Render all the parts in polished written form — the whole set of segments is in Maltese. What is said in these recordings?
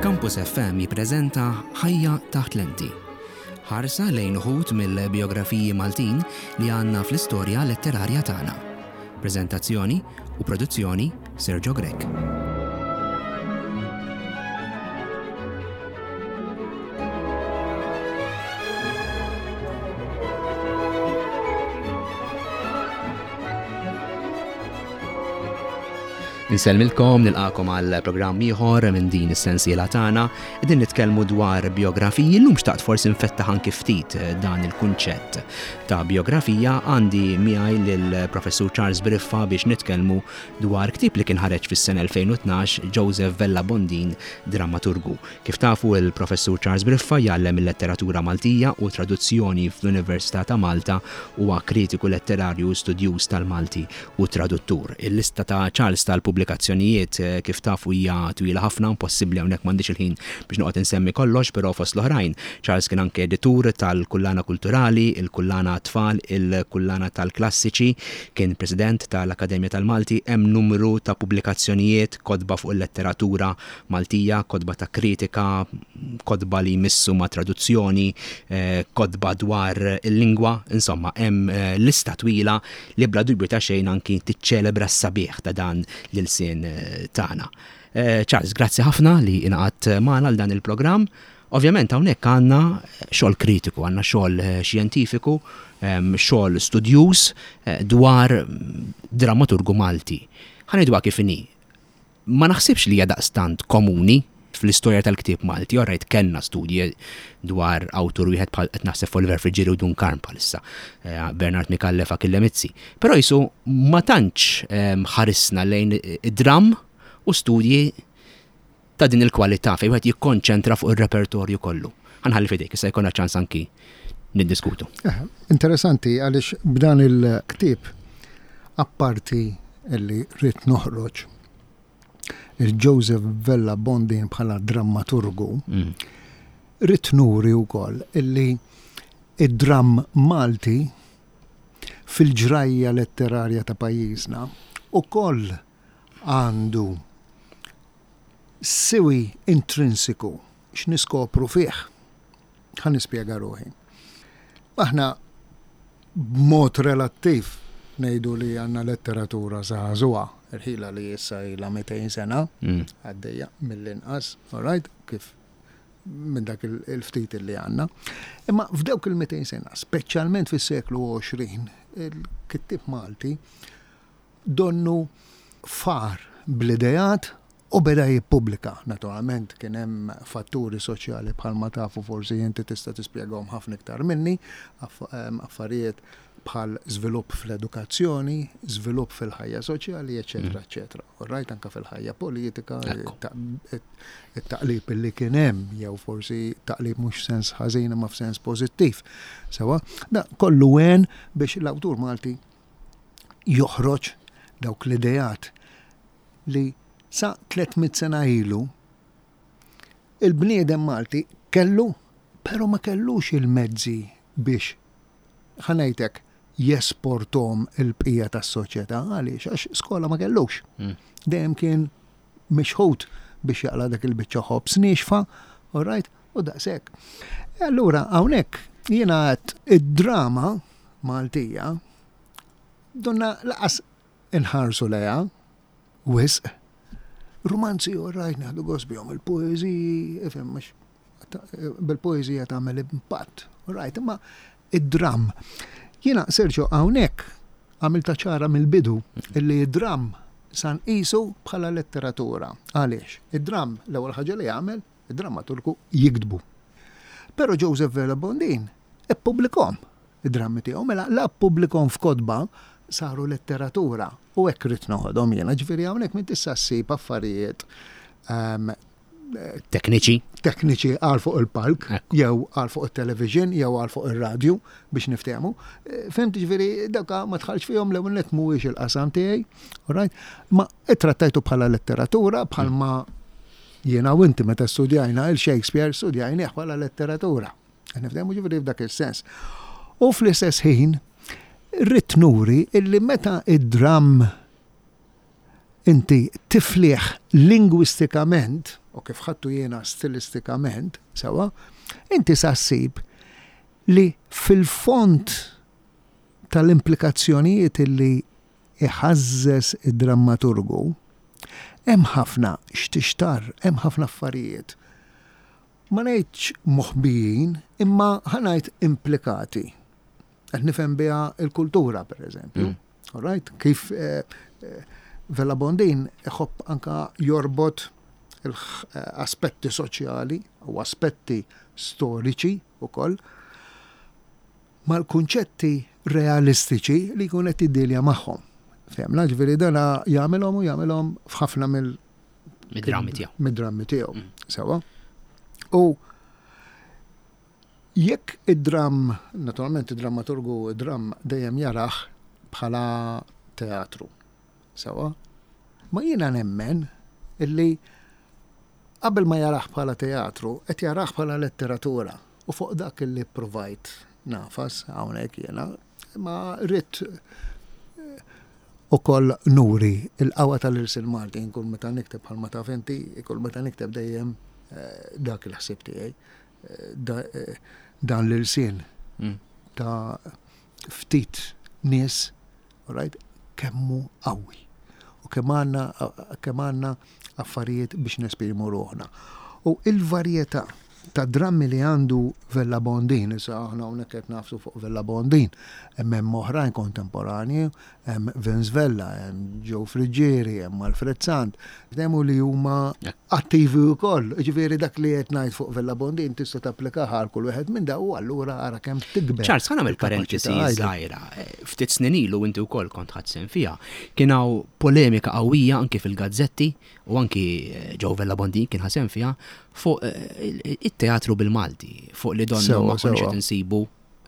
Campus FM jippreżenta Ħajja taħt lenti. Ħarsa lejn uħud mill-bijografiji Maltin li għandna fl-istorja letterarja tagħna. Preżentazzjoni u produzzjoni Sergio Grech. Insellmilkom, nilqakom għal programm ieħor minn din is-sensiela tagħna. Qegħdin nitkellmu dwar biografiji, llum xtaqt forsi nfettaħ anki ftit dan il-kunċett ta' biografija. Għandi miegħi lill-Professur Charles Briffa biex nitkellmu dwar ktieb li kien ħareġ fis-sena 2012, Joseph Vella Bondin, Drammaturgu. Kif tafu, il-Professur Charles Briffa jgħallem il-Letteratura Maltija u Traduzzjoni fl-Università ta' Malta, huwa kritiku letterarju u studjuż tal-Malti u traduttur. Il-lista ta' Charles tal-pubblikazzjonijiet, kif tafu, hija twila ħafna, impossibbli hawnhekk m'għandix il-ħin biex noqgħod insemmi kollox, però fost l-oħrajn, Charles kien anke editur tal-Kullana Kulturali, il-Kullana għat-Tfal, il-Kullana tal-Klassiċi, kien President tal-Akkademja tal-Malti, hemm numru ta' pubblikazzjonijiet, kotba fuq il-letteratura Maltija, kotba ta' kritika, kotba li jmissu ma' traduzzjoni, kotba dwar il-lingwa, insomma hemm lista twila li bla dubju ta' xejn anki tiċċelebra s-sabiħ ta' dan l-ilsien tagħna. Charles, grazzi ħafna li ingħaqadt magħna għal dan il-programm. Ovvjament hawnhekk għandna xogħol kritiku, għandna xogħol xjentifiku, xogħol studjuż dwar drammaturgu Malti. Ħa ngħiduha kif inhi, Ma naħsibx li hija daqstant komuni fl-istorja tal-ktieb Malti. All right, kellna studji dwar awtur wieħed bħal qed naħseb f'Oliver Friggieri u Dun Karm bħalissa, Bernard Micallef, Achille Mizzi. Però qisu ma tantx ħarisna lejn id-dramm u studji ta' din il-kwalità fejn wieħed jikkonċentra fuq ir-repertorju kollu. Ħa nħalli f'idejk, issa jkollna ċans anki niddiskutu. Interessanti għaliex b'dan il-ktieb apparti li rrid noħroġ il-Joseph Vella Bondin bħala drammaturgu, mm. rrid nuri wkoll illi id-dramm Malti fil-ġrajja letterarja ta' pajjiżna ukoll għandu siwi intrinsiku x'niskopru fih. Ħa nispjega ruħi. Aħna b'mod relattiv ngħidu li għandna letteratura żagħżugħa, irħila li issa ilha 200 sena mm. għaddejja mill-inqas, all right, kif minn dak il-ftit li għandna. Imma f'dawk il-200 sena, speċjalment fis-seklu 20, il-kittieb Malti donnu far bl-ideat u beda jippubblika. Naturalment kien hemm fatturi soċjali bħalma tafu forsi inti tista' tispjegahom ħafna iktar minni, affarijiet bħal żvilupp fl-edukazzjoni, żvilupp fil-ħajja soċjali, eċetera, mm. eċetera. U rajt anke fil-ħajja politika, it-taqlib li kien hemm, jew forsi taqlib mhux sens ħażin imma f'sens pożittiv. Sewa, da kollu għen biex l-awtur Malti joħroġ dawk l-ideat li sa 300 sena ilu il-bniedem Malti kellu, però ma kellux il-mezzi biex, ħa ngħidlek, jesporthom il-bqija tas-soċjetà. Għaliex? Għax skola ma kellux. Mm. Dejjem kien mixħut biex jaqla' dak il-biċċa ħobż niexfa, all right, u daqshekk. E allura hawnhekk jiena għedt id-drama Maltija donna laqas inħarsu lejha wisq. Rumanzi all right nieħdu gost bihom, il-poeżiji, ifhem mhux bil-poeżija tagħmel impatt, all right, imma id-dramm. Jiena Sergio hawnhekk għamilta ċara mill-bidu illi id-dramm sa nqisu bħala letteratura. Għaliex? Id-dramm l-ewwel ħaġa li jagħmel id-drammaturgu jiktbu. Però Joseph Vella Bondin ippubblikhom id-drammi tiegħu, mela la ppubblikhom f'kotba saru letteratura u hekk ridt noħodhom jiena, ġifieri hawnhekk m'int issa ssib affarijiet ehm, tekniċi. Tekniċi għal fuq il-palk, jew għal fuq il-television, jew għal fuq il-radju biex niftehmu. Eh, Fimt ġifieri dawka ma tħallx fihom l-ewwel nett mhuwiex il-qasam tiegħi, right? Ma ittrattajtu bħala letteratura bħalma jiena u inti meta studjajna il-Shakespeare studjajnieh bħala letteratura. Nifdemu ġifieri f'dak is-sens. U fl-istess ħin, rrid nuri illi meta id-dramm inti tifliħ lingwistikament. u kif ħadtu jiena stilistikament, sewwa, inti sa ssib li fil-fond tal-implikazzjonijiet li iħażżeż id-drammaturgu, hemm ħafna x'tixtarr, hemm ħafna affarijiet. Ma ngħidx moħbijin, imma ħa ngħid implikati. Qed nifhem biha l-kultura, per eżempju. Mm. All right? Kif eh, eh, Vella Bondin iħobb anka jorbot l-aspetti soċjali u aspetti storiċi ukoll mal-kunċetti realistiċi li jkun qed jiddilja magħhom. Fehmna, ġifieri dana jagħmilhom u jagħmilhom f'ħafna mill mid-drammi tiegħu. Mid-drammi tiegħu. Mm. Sewa. U jekk id-dramm, naturalment id-drammaturgu id-dramm dejjem jarah bħala teatru. Sewa. Ma jiena nemmen illi Qabel ma jarah bħala teatru, qed jarah bħala letteratura. U fuq dak li ppruvajt nagħfas hawnhekk jiena, imma ridt ukoll nuri l-qawwa tal-ilsien Malti. Jien kull meta nikteb bħalma taf inti, kull meta nikteb dejjem dak il-ħsieb tiegħi. Dan l-ilsien ta' ftit nies, all right, kemm hu qawwi u kemm għandna kemm għandna affarijiet biex nesprimu ruħna. U il-varjetà ta' drammi li għandu Vella Bondin, issa aħna hawnhekk qed nafsu fuq Vella Bondin, hemm hemm oħrajn kontemporanji, hemm Vince Vella, hemm Joe Friggieri, hemm Alfred Sant, hemm li huma attivi wkoll. Ġifieri dak li qed ngħid fuq Vella Bondin tista' tapplikah għal kull wieħed minn daw u allura ara kemm tikber. Charles, ħa nagħmel parentesi żgħira. Ftit snin ilu inti wkoll kont ħadt sehem fiha. Kien hawn polemika qawwija anki fil-gazzetti u anki eh, Joe Vella Bondin kien ħa sehem fiha fuq eh, it-teatru bil-Malti, fuq li donnu ma konniex qed insibu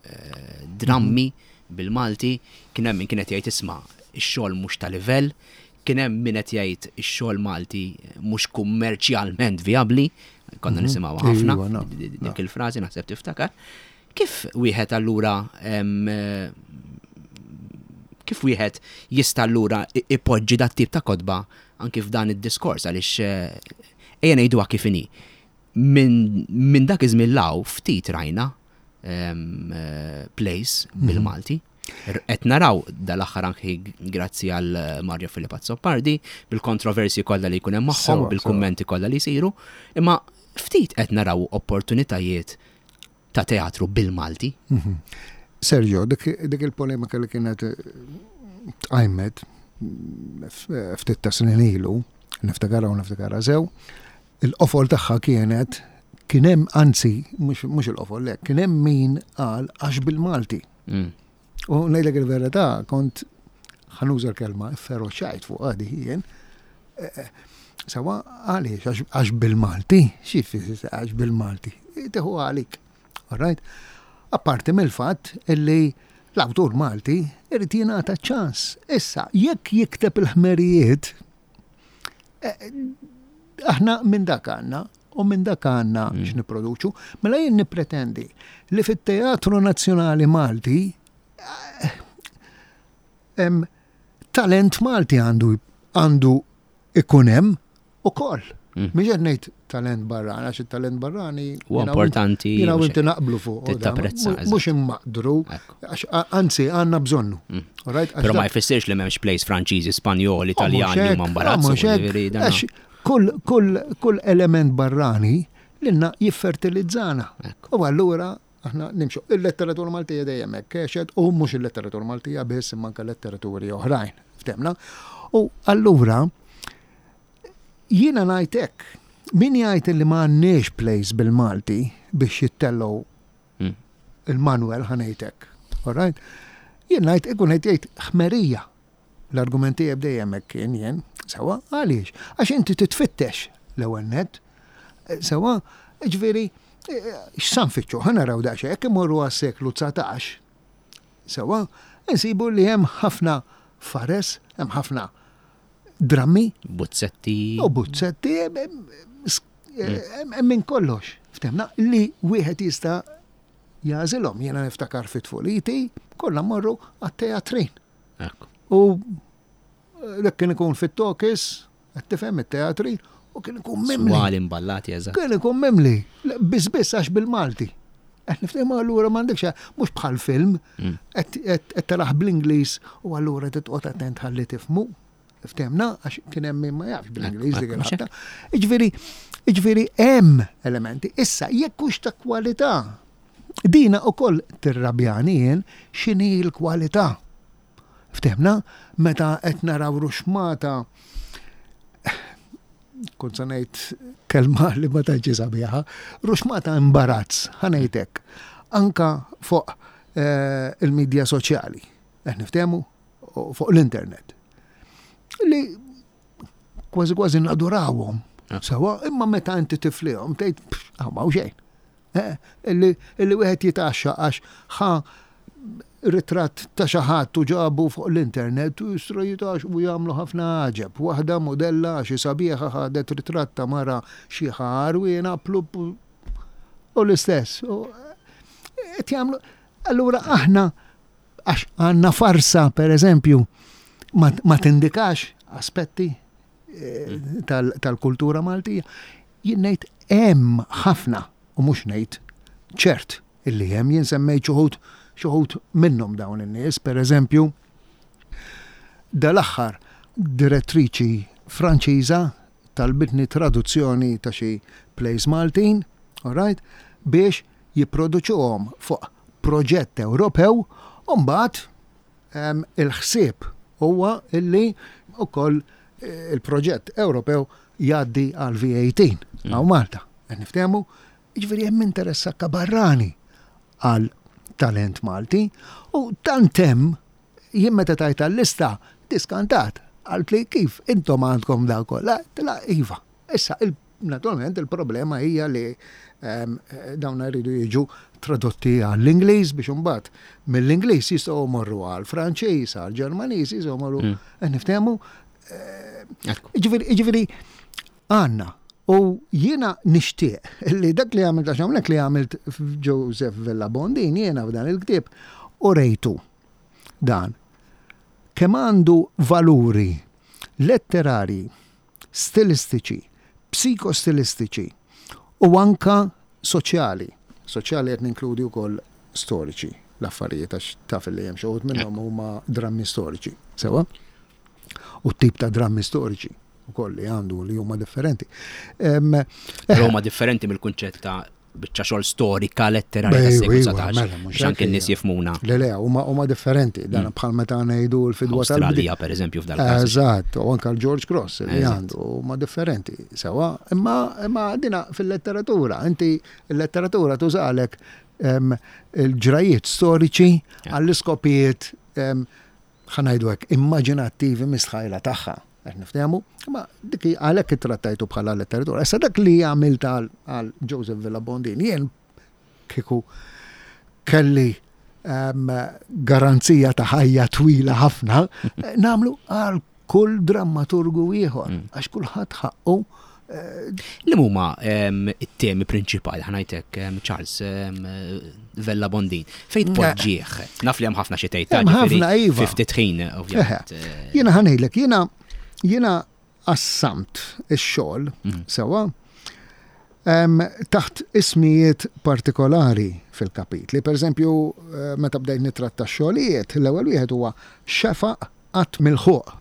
eh, drammi bil-Malti, kien hemm min kien qed jgħid isma' ix-xogħol mhux ta' livell, Kien hemm min qed jgħid ix-xogħol Malti mhux kummerċjalment vijabbli, konna mhm. nisimgħu ħafna iva, dik il-frażi naħseb tiftakar. Kif wieħed allura kif wieħed jista' allura ipoġġi dat tip ta' kotba anki f'dan id-diskors għaliex eh, ejja ngħiduha kif inhi. Minn dak iż-żmien law ftit rajna eh, plays mhm. bil-Malti. Qed naraw dal-aħħar anki grazzi għal Mario Filip Azzopardi bil-kontroversji kollha li jkun hemm magħhom u bil-kummenti kollha li jsiru, imma ftit qed naraw opportunitajiet ta' teatru bil-Malti. Mhm. Sergio, dik il-polemika li kienet eh, tqajmet ftit ta' snin ilu, niftakara u niftakara sew, il-qofol tagħha kienet kien hemm anzi mhux il-qofol le, kien hemm min qal għax bil-Malti. Mm. U ngħidlek il-verità, kont ħanuża l-kelma feroċajt fuq għadi jien. Eh, eh, sawa għaliex, għax bil-Malti, xi għax bil-Malti, teħu għalik. All right? Apparti mill-fatt illi l-awtur Malti irid jingħata ċans. Issa, jekk jikteb il-ħmerijiet, eh, aħna minn dak għandna u minn dak għandna mm. x'nipproduċu, mela jien nippretendi li fit-Teatru Nazzjonali Malti eh, talent Malti għandu għandu ikun hemm ukoll. Mm. Mhux qed ngħid talent barrani, għax it-talent barrani huwa importanti. Jiena u inti naqblu fuq. Tapprezza. Mhux immaqdru, għax anzi għandna bżonnu. Mm. Però ma jfissirx li m'hemmx plays Franċiżi, Spanjoli, oh, Italjani huma mbarazzu. Kull, kull, kull element barrani lilna jiffertilizzana. U allura aħna nimxu. Il-letteratura Maltija dejjem hekk għexet u mhux il-letteratura Maltija biss imma anke letteraturi oħrajn. Ftemna? U allura jiena ngħid hekk, min jgħid li ma għandniex plays bil-Malti biex jittellgħu hmm. il-Manuel ħa ngħid hekk. All right? Jien ngħid ikun qed jgħid ħmerija. L-argument tiegħi dejjem hekk kien jien, sewwa għaliex? Għax inti titfittex l-ewwel nett. Eh, sewwa, ġifieri eh, x'sa nfittxu? Ħa naraw daqsxejn, jekk imorru għas-seklu 19. Sewwa, insibu li hemm ħafna fares, hemm ħafna drammi. Buzzetti. U buzzetti, hemm minn kollox. Ftemna li wieħed jista' jagħżilhom. Jiena niftakar fit tfuliti, kollha mmorru għat-teatrin. U dak kien ikun fit-tokis, qed tifhem it-teatri, U kien ikun mimli. Swali imballati, eżatt. Kien ikun mimli. Biss biss għax bil-Malti. Qed niftehmu allura m'għandekx mhux bħal film, mm. qed taraħ bl-Ingliż u allura titqgħod attent ħalli tifhmu. Ftehmna għax kien hemm min ma jafx bl-Ingliż dik il-ħabta. Jiġifieri, jiġifieri hemm elementi. Issa jekk hux ta' kwalità, dina ukoll tirrabjani jien x'inhi l-kwalità. Ftehmna meta qed naraw ruxmata kont se ngħid kelma li ma tantx sabiħa, ruxmata imbarazz, ħa ngħid hekk. Anka fuq eh, il-midja soċjali. Qed niftehmu? Fuq l-internet. Li kważi kważi nadurawhom. Ah. Sawa, imma meta inti tiflihom tgħid ah, ma xejn. Eh, illi wieħed jitaxxa għax ħa ritratt ta' xi ħadd u ġabu fuq l-internet u jistru jitax u jagħmlu ħafna għaġeb. Waħda modella xi sabiħa ħadet ritratt ta' mara xi ħarwiena plup u l-istess. Qed jagħmlu Allura aħna Għax għandna farsa, per eżempju, ma tindikax aspetti eh, tal-kultura Maltija. Jien ngħid hemm ħafna u mhux ngħid ċert illi hemm jien semmejt xuħud xuħud minnhom dawn in-nies, per eżempju, dal-aħħar direttriċi Franċiża talbitni traduzzjoni ta' xi plays Maltin, all right, biex jipproduċuhom fuq proġett Ewropew u mbagħad il-ħsieb huwa illi wkoll eh, il-proġett Ewropew jgħaddi għal V18 mm. għaw Malta. Qed niftehmu, jiġifieri hemm interess anke barrani għal talent Malti u tant hemm jien meta tajt għall-lista diskantat għalt li kif intom għandkom daw kollha, iva. Issa Naturalment il-problema hija li ehm, dawn jridu jiġu tradotti għall-Ingliż biex imbagħad mill-Ingliż jistgħu jmorru għall-Franċiż, għall-Ġermaniż, jistgħu jmorru mm. eh, niftehmu. Eh, ġifieri għandna u jiena nixtieq li dak li għamilt għax hawnhekk li għamilt Joseph Vella Bondin jiena f'dan il-ktieb u rejtu dan kemm għandu valuri letterari stilistiċi, psikostilistiċi u anke soċjali. Soċjali qed ninkludi wkoll storiċi l-affarijiet għax taf li hemm xi wħud minnhom huma drammi storiċi. Sewwa? U t-tip ta' drammi storiċi ukoll li għandu li huma differenti. Però huma differenti mill-kunċett ta' biċċa xogħol storika letterarja tas-seklu 19. Mela, mhux anke n-nies jifhmuna. Le le, huma huma differenti, dan mm. bħal meta ngħidu l-fidwa tal Australja pereżempju f'dal każ. Eżatt, u anke l-George Cross li għandu huma differenti. Sewa, imma imma dina fil-letteratura, inti l-letteratura tużalek il-ġrajiet storiċi għall-iskopijiet ħa ngħidu hekk, immaġinattivi mistħajla tagħha. Qed niftehmu? Ma dik għalhekk ittrattajtu bħala letteratura. Issa dak li għamilt għal Joseph Villa Bondin, jien kieku kelli ehm, garanzija ta' ħajja twila ħafna, namlu għal kull drammaturgu ieħor, mm. għax kulħadd ħaqqu eh, Li huma ehm, it-temi prinċipali ħanajtek ehm, Charles ehm, Vella Bondin. Fejn tpoġġih? Naf li hemm ħafna xi tgħid. Hemm ħafna iva. Fi ftit ħin ovvjament. Eh. Jiena ħanejlek, jiena jiena qassamt ix-xogħol mm. sewwa taħt ismijiet partikolari fil-kapitli. Per eżempju, eh, meta bdejt nitratta x-xogħlijiet, l-ewwel wieħed huwa xefaq qatt milħuq.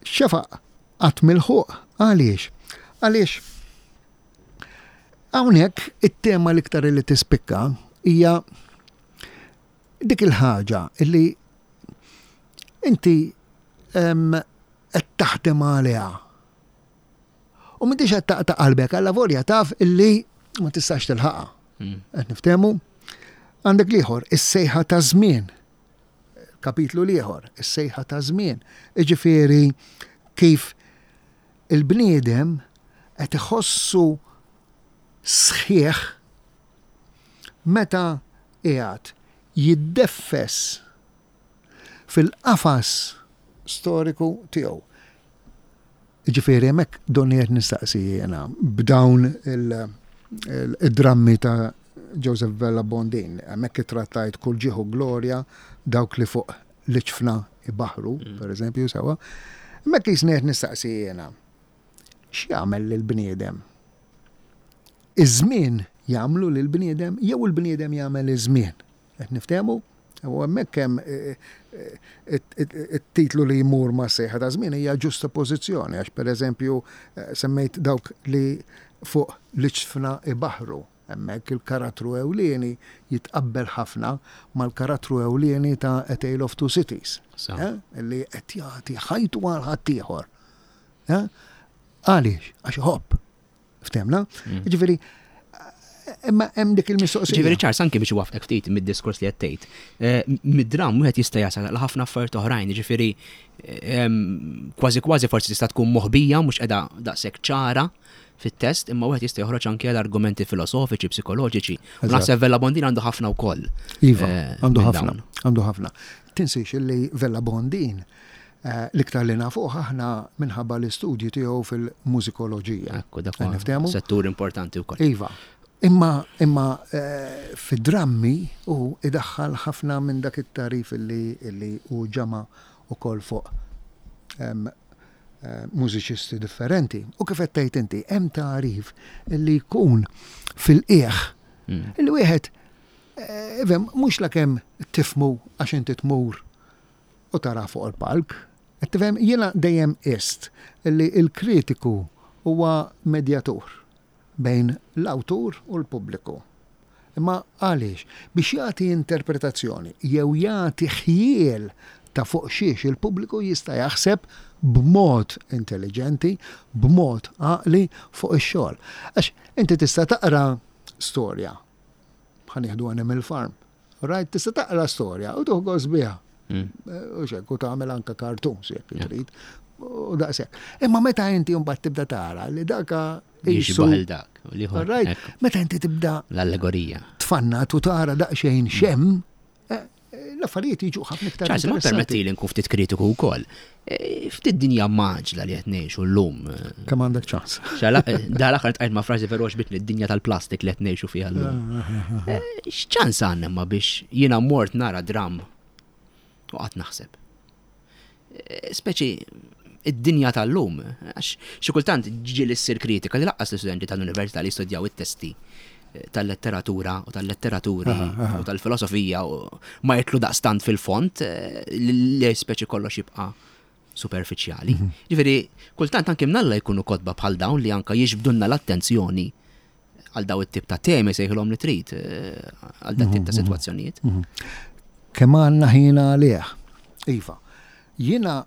Xefaq qatt milħuq għaliex? Għaliex hawnhekk it-tema l-iktar li tispikka hija dik il-ħaġa li inti qed taħdem għaliha. U m'intix qed taqta' qalbek alla volja taf illi ma tistax tilħaqha. Mm. Qed niftehmu? Għandek l-ieħor, is-sejħa ta' żmien. Kapitlu l-ieħor, is-sejħa ta' żmien. Iġifieri kif il-bniedem qed iħossu sħiħ meta qiegħed jiddeffes fil-qafas storiku tiegħu. Jiġifieri hemmhekk donni qed nistaqsi jiena b'dawn il-drammi ta' Joseph Vella Bondin, hemmhekk ittrattajt kull ġieħ u glorja dawk li fuq l-iġfna ibaħħru, mm. per eżempju, sewa. Hemmhekk jisni qed nistaqsi jiena. X'jagħmel lill-bniedem? Iż-żmien jagħmlu lill-bniedem jew il-bniedem jagħmel iż-żmien? Qed niftehmu? U hemmhekk hemm it-titlu li jmur ma' sejħa ta' żmien hija ġustapożizzjoni għax pereżempju semmejt dawk li fuq l-iġfna ibaħħru. Hemmhekk il-karattru ewlieni jitqabbel ħafna mal-karattru ewlieni ta' A Tale of Two Cities. Li qed jagħti ħajtu għal ħaddieħor. Għaliex? Għax iħobb. Ftemna? Mm. Ġifieri, imma hemm dik il-mistoqsija. Ġifieri ċars anke biex wafqek ftit mid-diskors li qed tgħid. Eh, mid-dram wieħed jista' jasal għal ħafna affarijiet oħrajn, ġifieri kważi kważi forsi tista' tkun moħbija mhux qiegħda daqshekk ċara fit-test, imma wieħed jista' joħroġ anke għal argumenti filosofiċi, psikoloġiċi. U naħseb Vella Bondin għandu ħafna wkoll. Iva, eh, għandu ħafna, għandu ħafna. Tinsiex li Vella Bondin eh, l-iktar li nafuh aħna minħabba l-istudji tiegħu fil-mużikoloġija. Ekku, dak settur importanti wkoll. Iva. Imma imma eh, fid-drammi u idaħħal ħafna minn dak it-tarif li li hu ġama ukoll fuq mużiċisti differenti. U kif qed tgħid inti, hemm tagħrif li jkun fil-qiegħ mm. li wieħed eh, ifhem mhux lakemm tifmu għax inti tmur u tara fuq il-palk. Qed tifhem jiena dejjem qist li l-kritiku huwa medjatur. bejn l-awtur u l-pubbliku. Imma għaliex? Biex jagħti interpretazzjoni jew jagħti ħjiel ta' fuq xiex il-pubbliku jista' jaħseb b'mod intelliġenti, b'mod għaqli fuq ix-xogħol. Għax inti tista' taqra storja, ħa nieħdu Animal Farm, Right, tista' taqra storja u tuħ gost biha. Mm. Eh, u xek, u tagħmel anka cartoons jekk trid. U daqshekk. Imma meta inti mbagħad tibda tara li daka jixbaħ dak. Right, meta inti tibda l-allegorija. Tfannat u tara daqsxejn mm. xem, eh, l-affarijiet jiġu ħafna iktar. ċans, ma permetti li nkun ftit kritiku wkoll. E, ftit dinja maġla li qed ngħixu llum. Kemm għandek ċans. Eh, da l-aħħar tqajt ma' frażi veru għaxbitni d-dinja tal-plastik li qed ngħixu fiha llum. Eh, x'ċans għandna ma biex jiena mort nara dram u qatt naħseb. Eh, speċi id-dinja tal-lum, għax xi kultant ġieli ssir kritika li laqqas l-istudenti tal-università li jistudjaw it-testi eh, tal-letteratura u tal-letteraturi u tal-filosofija u ma jitlu daqstant fil-font eh, li speċi kollox jibqa' superfiċjali. Mhm. Ġifieri, kultant anke mnalla jkunu kotba bħal dawn li anka jiġbdunna l-attenzjoni għal daw it-tip ta' temi sejħilhom li trid eh, għal dat tip ta' mhm, mhm. sitwazzjonijiet. Mhm. Kemm għandna ħin għalih. Iva, jiena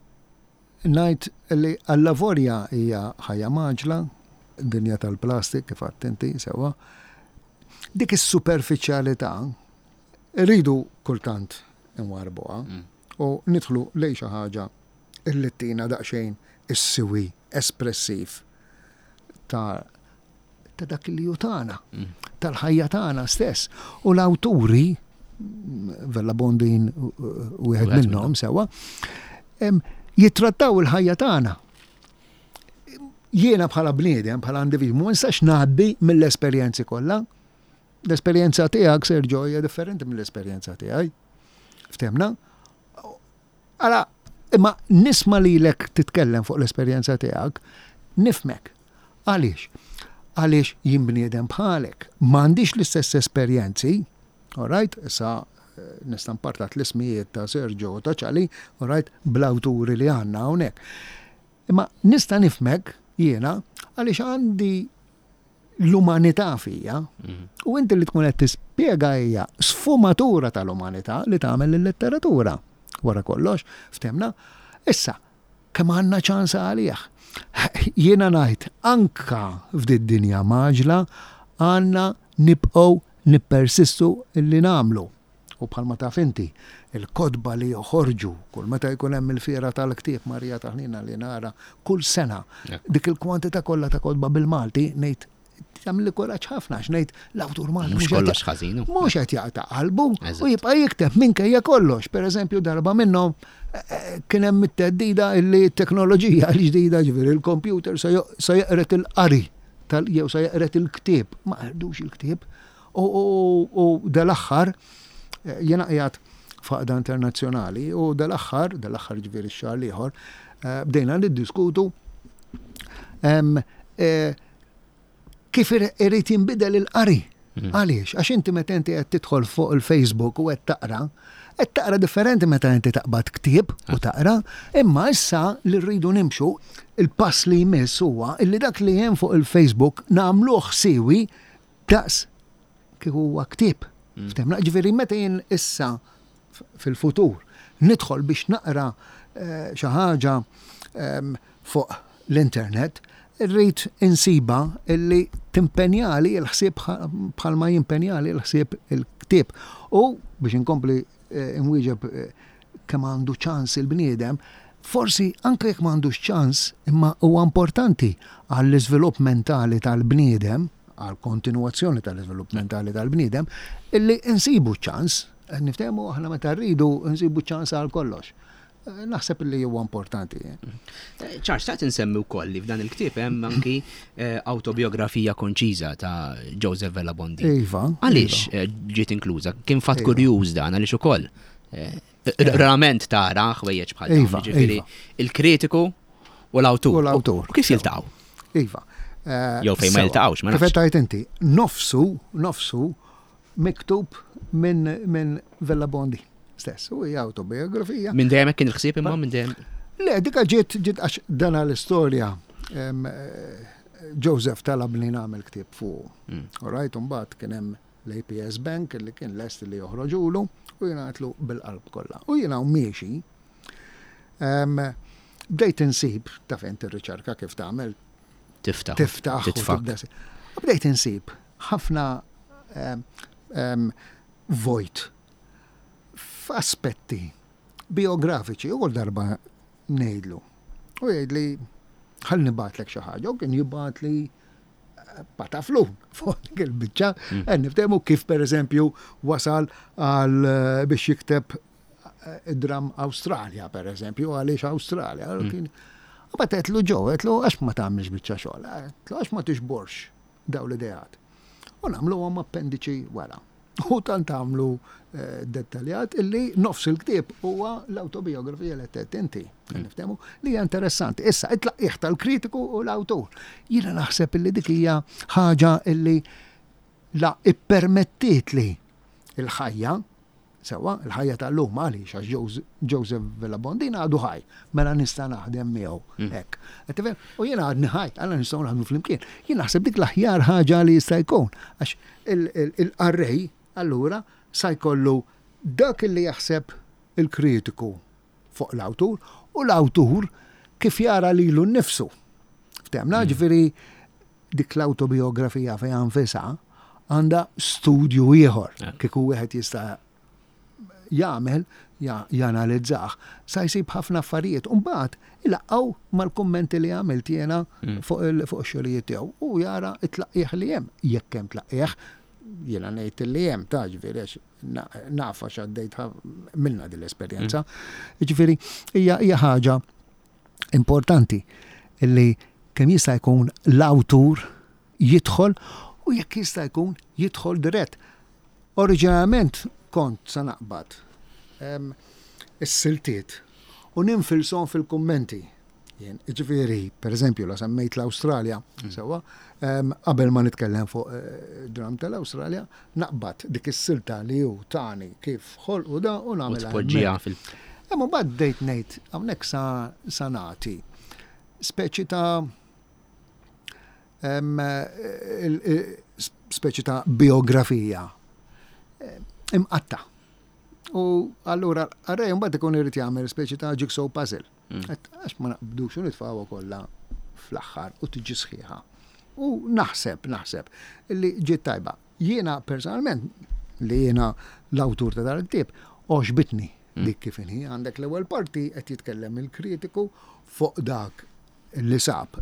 ngħid li allavorja hija ħajja mgħaġġla, dinja tal-plastik kif għedt inti sewwa. Dik is-superfiċjalità rridu kultant inwarrbuha mm. u nidħlu lejn xi ħaġa illi ttina daqsxejn is-siwi espressiv ta' ta' dak li hu tagħna, mm. tal-ħajja tagħna stess. U l-awturi, Vella Bondin wieħed minnhom sewwa, jittrattaw il-ħajja tagħna. Jiena bħala bniedem, bħala individwu, ma nistax ngħaddi mill-esperjenzi kollha. L-esperjenza tiegħek, Sergio, hija differenti mill-esperjenza tiegħi. Ftemna? Ara, imma nisma' lilek titkellem fuq l-esperjenza tiegħek, nifhmek. Għaliex? Għaliex jien bniedem bħalek. M'għandix l-istess esperjenzi, all right, issa eh, nista' npartat l-ismijiet ta' Sergio u ta' Ċali, all right, bl-awturi li għandna hawnhekk. Imma nista' nifhmek jiena għaliex għandi l-umanità fija. Mhm. U inti li tkun qed tispjega hija sfumatura tal-umanità li tagħmel il-letteratura. Wara kollox, ftemna. Issa, kemm għandna ċans għalih. Jiena ngħid anka f'did dinja maġla għandna nibqgħu nippersistu li nagħmlu. U bħalma taf inti, il-kotba li joħorġu kull meta jkun hemm il-fiera tal-ktieb Marija Taħnina li nara kull sena, dik il-kwantità kollha ta' kotba bil-Malti ngħid tagħmilli kuraġġ ħafna għax ngħid l-awtur Malti mhux kollox ħażin. Mhux qed jaqta' qalbu u jibqa' jikteb minkejja kollox. Pereżempju darba minnhom eh, eh, kien hemm it-theddida li t-teknoloġija l-ġdida ġifieri il-computer se jeqret il-qari jew se jeqret il-ktieb. Ma qerdux il-ktieb. U dal-aħħar, eh, jiena qiegħed f'għaqda internazzjonali u dal-aħħar, dal-aħħar ġifieri x-xahar l-ieħor, eh, bdejna niddiskutu eh, kif irid jinbidel il-qari. Mm. Għaliex? Għax inti meta inti qed tidħol fuq il-Facebook u qed taqra, qed taqra differenti meta inti taqbad ktieb u ah. taqra, imma issa li rridu nimxu il-pass li jmiss huwa illi dak li hemm fuq il-Facebook nagħmluh siwi daqs kif huwa ktieb. Mm. Ftemna, ġifieri meta jien issa fil-futur nidħol biex naqra eh, xi ħaġa ehm, fuq l-internet, irrid insiba illi timpenjali l-ħsieb bħalma jimpenjali l-ħsieb il-ktieb. U biex inkompli eh, nwieġeb eh, kemm għandu ċans il-bniedem, forsi anke jekk m'għandux ċans, imma huwa importanti għall-iżvilupp mentali tal-bniedem, għall-kontinwazzjoni tal-iżvilupp mentali tal-bniedem, illi nsibu ċans, niftehmu aħna meta rridu nsibu ċans għal kollox. Naħseb li huwa importanti. Eh, Ċar, xtaqt insemmi wkoll li f'dan il-ktieb hemm anki eh, autobiografija konċiża ta' Joseph Vella Bondi. Iva. Għaliex iva. Eh, ġiet inkluża? Kien fatt iva. kurjuż dan għaliex ukoll. Rarament tara ħwejjeġ bħal iva, ġifieri il-kritiku u l-awtur. U l-awtur. Kif jiltaqgħu? Iva. Jew fejn ma jiltaqgħux, ma nafx. Kif qed inti, nofsu, nofsu miktub minn min Vella Bondi stess. U hija autobiografija. Minn dejjem kien il-ħsieb imma minn dejjem. Le, dika ġiet ġiet għax dana l-istorja Joseph talab li nagħmel ktieb fuq. Mm. All right, mbagħad kien hemm l-APS Bank li kien lest li joħroġulu u jiena għatlu bil-qalb kollha. U jiena miexi bdejt insib, taf inti r-riċerka kif tagħmel, Tiftaħ. Tiftaħ. Titfa'. Bdejt insib ħafna vojt f'aspetti biografiċi u darba ngħidlu. U jgħidli ħalli nibgħatlek xi ħaġa u kien jibgħatli pataflu fuq dik il-biċċa. Mm. Niftehmu kif pereżempju wasal għal eh, biex jikteb eh, id-dram Awstralja pereżempju, għaliex Awstralja. Mm. Kien Mbagħad għedtlu ġo, għedtlu għax ma tagħmilx biċċa xogħol, għedtlu għax ma tixborx daw l-ideat. U nagħmluhom appendiċi wara. U tant għamlu eh, dettaljat illi nofs il-ktieb huwa l-autobiografija li qed inti. Mm. Niftehmu li hija interessanti. Issa it-tlaqqih tal-kritiku u l-awtur. Jiena naħseb illi dik hija ħaġa illi la ippermettiet li il-ħajja Sewwa, il-ħajja tal-lum għaliex għax Joseph Vella Bondin għadu ħaj, mela nista' naħdem miegħu mm. hekk. Qed tifhem? U jiena għadni ħaj, għalla nistgħu naħdmu flimkien. Jien naħseb dik l-aħjar ħaġa li jista' jkun għax il-qarrej allura sa jkollu dak li jaħseb il-kritiku fuq l-awtur u l-awtur kif jara lilu nnifsu. Ftemna, mm. ġifieri dik l-awtobiografija fiha nfisha għandha studju ieħor kieku wieħed jista' jagħmel janalizzah sa jsib ħafna affarijiet u mbagħad ilaqqgħu mal-kummenti li għamilt jiena mm. fuq ix-xogħlijiet tiegħu u jara t-tlaqqih li hemm jekk hemm tlaqqih jiena ngħid li hemm ta' ġifieri għax naf għax għaddejt minna din l-esperjenza. Mm. Ġifieri hija ħaġa Importanti li kemm jista' jkun l-awtur jidħol u jekk jista' jkun jidħol dirett. Oriġinalment kont sa naqbad is-siltiet u ninfilshom fil-kummenti. Jien, jiġifieri, pereżempju, la semmejt l-Awstralja, mm. sewwa, qabel ma nitkellem fuq eh, dram tal-Awstralja, naqbad dik is-silta li hu tani kif ħolqu da u nagħmilha. Tpoġġiha fil. Imma mbagħad bdejt ngħid hawnhekk sa sa nagħti speċi ta' speċi ta' biografija imqatta. U allura għarrej mbagħad ikun irid jagħmel speċi ta' jigsaw puzzle. Mm. Għax ma naqbdux u nitfgħuha kollha fl-aħħar u tiġi sħiħa. U naħseb, naħseb li ġiet tajba. Jiena personalment li jiena l-awtur ta' dal-ktieb għoxbitni mm. dik kif inhi. Għandek l-ewwel parti qed jitkellem il-kritiku fuq dak li sab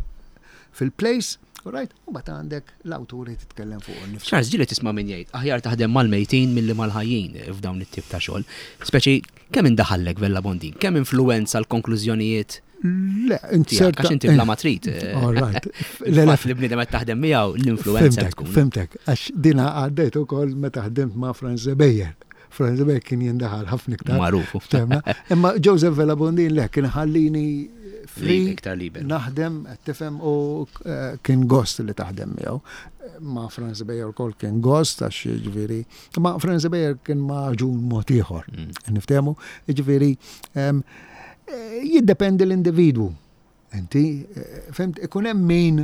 fil-place, right? U bat għandek l-awtur li titkellem fuq innifsu. Charles, ġieli tisma' min jgħid aħjar taħdem mal-mejtin milli mal-ħajjin f'dawn it-tip ta' xogħol. Speċi kemm indaħallek Vella Bondin, kemm influenza l-konklużjonijiet Le, inti serta. Għax inti bla ma trid. Eh, All right. Le, le, li bniedem qed taħdem miegħu l-influenza tkun. Fimtek, għax dina għaddejt ukoll meta ħdimt ma' Franz Beyer. Franz Beyer kien jindaħal ħafna iktar. Magħruf. Imma Joseph Vella Bondin le kien ħallini free iktar liber. Naħdem, qed tifhem u eh, kien gost li taħdem miegħu. Ma' Franz Beyer ukoll kien gost għax jiġifieri, ma' Franz Beyer kien maġun mod ieħor. Mm. Niftehmu, jiġifieri eh, jiddependi l-individwu. Inti, eh, fimt, ikun hemm min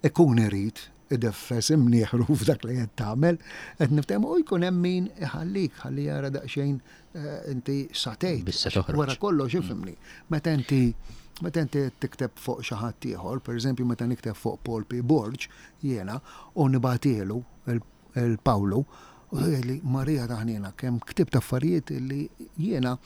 ikun irid ideffes imnieħru f'dak li qed tagħmel, qed niftehmu u jkun hemm min iħallik ħalli jara daqsxejn eh, inti satejt. Wara kollox mm. ifhimni. Meta inti meta inti tikteb fuq xi ħadd ieħor, pereżempju meta nikteb fuq Paul P. Borg, jiena, u nibatielu il-Pawlu, u li Marija taħnina kemm ktibt affarijiet li jiena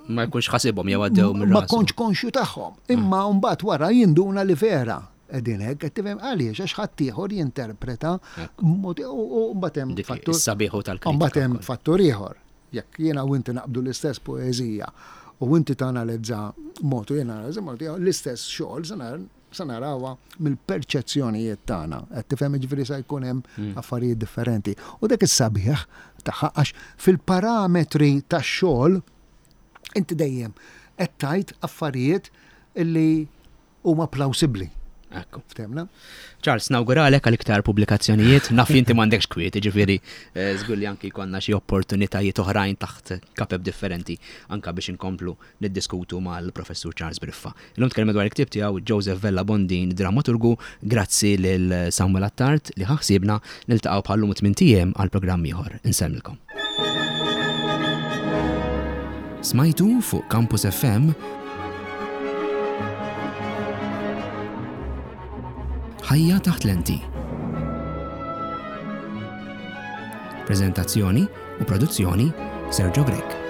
ma jkunx ħasibhom jew għaddew minn Ma kontx konxju tagħhom. Imma mm. mbagħad wara jinduna li vera qegħdin hekk, qed tifhem għaliex għax ħaddieħor jinterpreta mod u mbagħad hemm fattur. Sabiħu tal-kritika. Mbagħad hemm fattur ieħor. Jekk jiena u inti naqbdu l-istess poeżija u inti tanalizza mod u jiena analizza mod l-istess xogħol se narawha mill-perċezzjonijiet tagħna. Qed tifhem jiġifieri se jkun hemm mm. affarijiet differenti. U dak is-sabiħ tagħha għax fil-parametri tax-xogħol inti dejjem qed tgħid affarijiet illi huma plawsibbli. Ekku. Ftemna? Charles, nawguralek għal iktar pubblikazzjonijiet, naf li inti m'għandekx kwiet, ġifieri eh, żgur li anki jkollna xi opportunitajiet oħrajn taħt kapeb differenti anka biex inkomplu niddiskutu mal-Professur Charles Briffa. Illum tkellimna dwar il-ktieb tiegħu Joseph Vella Bondin, Drammaturgu, grazzi lil Samuel Attard li ħa ħsiebna, niltaqgħu bħal-lum tmint ijiem għal programm ieħor. Insellmilkom. Smajtu fuq Campus FM Ħajja taħt lenti. Prezentazzjoni u produzzjoni Sergio Grech.